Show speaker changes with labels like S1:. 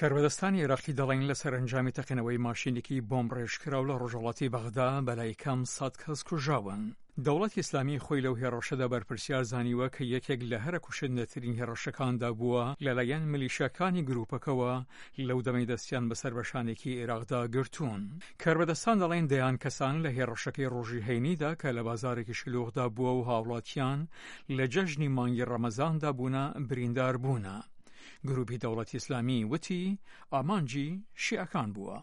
S1: کاربەدەستانی عێراقی دەڵێن لە سەرەنجامی تەقینەوەی ماشینێکی بۆمبڕێژکراو لە ڕۆژهەڵاتی بەغدا بەلای کەم سەد کەس کوژراون. دەوڵەتی ئیسلامی خۆی لەو هێڕشەدا بەرپرسیار زانیوە کە یەکێک لە هەرە کوشندەترین هێڕشەکاندا بووە لەلایەن ملیشیاکانی گروپەکەوە لەو دەمەی دەستیان بەسەر بەشانێکی عێراقدا گرتوون. کاربەدەستان دەڵێن دەیان کەسان لە هێڕشەکەی ڕۆژی هەینیدا کە لە بازارێکی شلوغدا بووە و هاوڵاتیان لە جەژنی مانگی ڕەمەزاندا بوونە بریندار بوونە. گروپی دەوڵەتی ئیسلامی وتی ئامانجی شیعەکان بووە.